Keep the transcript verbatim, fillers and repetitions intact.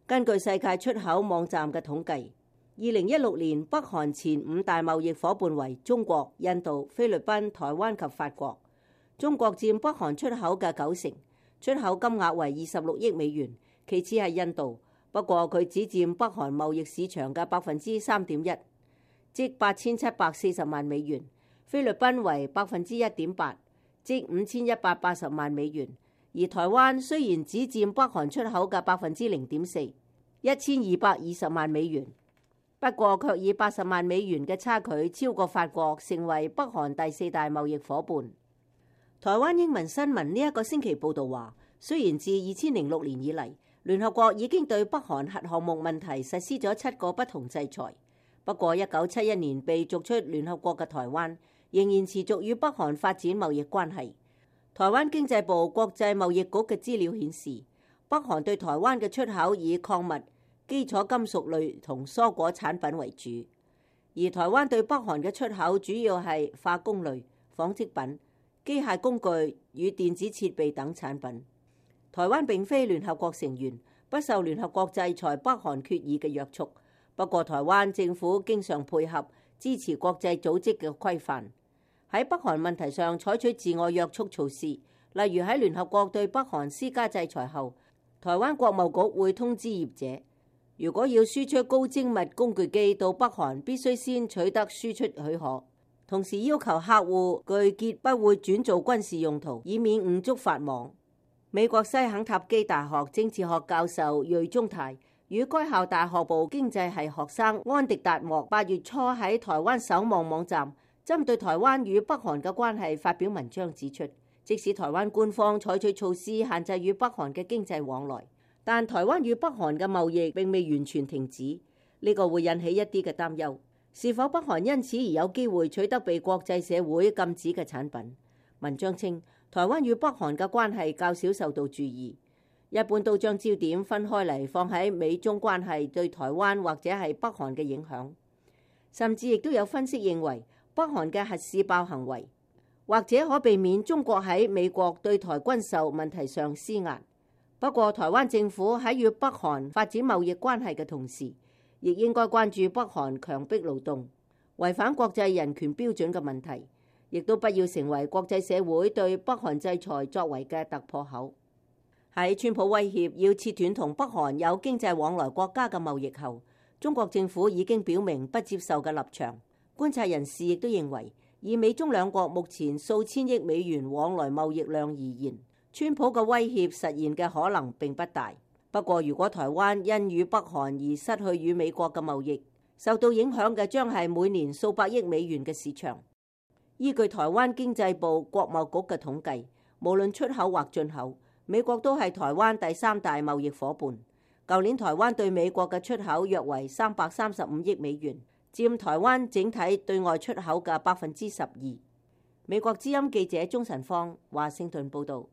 根據世界出口網站嘅統計，二零一六年北韓前五大貿易夥伴為中國、印度、菲律賓、台灣及法國。中國佔北韓出口嘅九成，出口金額為二十六億美元，其次係印度，不過佢只佔北韓貿易市場嘅百分之三點一，即八千七百四十萬美元。菲律賓為百分之一點八，即五千一百八十萬美元。而台灣雖然只佔北韓出口嘅百分之零點四，一千二百二十萬美元，不過卻以八十萬美元嘅差距超過法國，成為北韓第四大貿易夥伴。台灣英文新聞呢一個星期報道話，雖然自二千零六年以嚟，聯合國已經對北韓核項目問題實施咗七個不同制裁，不過一九七一年被逐出聯合國嘅台灣，仍然持續與北韓發展貿易關係。台灣經濟部國際貿易局嘅資料顯示，北韓對台灣嘅出口以礦物、基礎金屬類同蔬果產品為主，而台灣對北韓嘅出口主要係化工類、紡織品、機械工具與電子設備等產品。台灣並非聯合國成員，不受聯合國制裁北韓決議嘅約束，不過台灣政府經常配合支持國際組織嘅規範。喺北韓問題上採取自我約束措施，例如喺聯合國對北韓施加制裁後，台灣國貿局會通知業者，如果要輸出高精密工具機到北韓，必須先取得輸出許可，同時要求客戶具結不會轉做軍事用途，以免誤觸法網。美國西肯塔基大學政治學教授瑞中泰與該校大學部經濟系學生安迪達莫八月初喺台灣守望網站針對台灣與北韓嘅關係發表文章，指出，即使台灣官方採取措施限制與北韓嘅經濟往來，但台灣與北韓嘅貿易並未完全停止，呢個會引起一啲嘅擔憂。是否北韓因此而有機會取得被國際社會禁止嘅產品？文章稱，台灣與北韓嘅關係較少受到注意，一般都將焦點分開嚟放喺美中關係對台灣或者係北韓嘅影響，甚至亦都有分析認為，北韓嘅核試爆行為，或者可避免中國喺美國對台軍售問題上施壓。不過，台灣政府喺與北韓發展貿易關係嘅同時，亦應該關注北韓強迫勞動、違反國際人權標準嘅問題，亦都不要成為國際社會對北韓制裁作為嘅突破口。喺川普威脅要切斷同北韓有經濟往來國家嘅貿易後，中國政府已經表明不接受嘅立場。觀察人士亦都認為，以美中兩國目前數千億美元往來貿易量而言，川普嘅威脅實現嘅可能並不大。不過，如果台灣因與北韓而失去與美國嘅貿易，受到影響嘅將係每年數百億美元嘅市場。依據台灣經濟部國貿局嘅統計，無論出口或進口，美國都係台灣第三大貿易夥伴。舊年台灣對美國嘅出口約為三百三十五億美元，佔台灣整體對外出口嘅百分之十二。美國之音記者鍾晨芳華盛頓報導。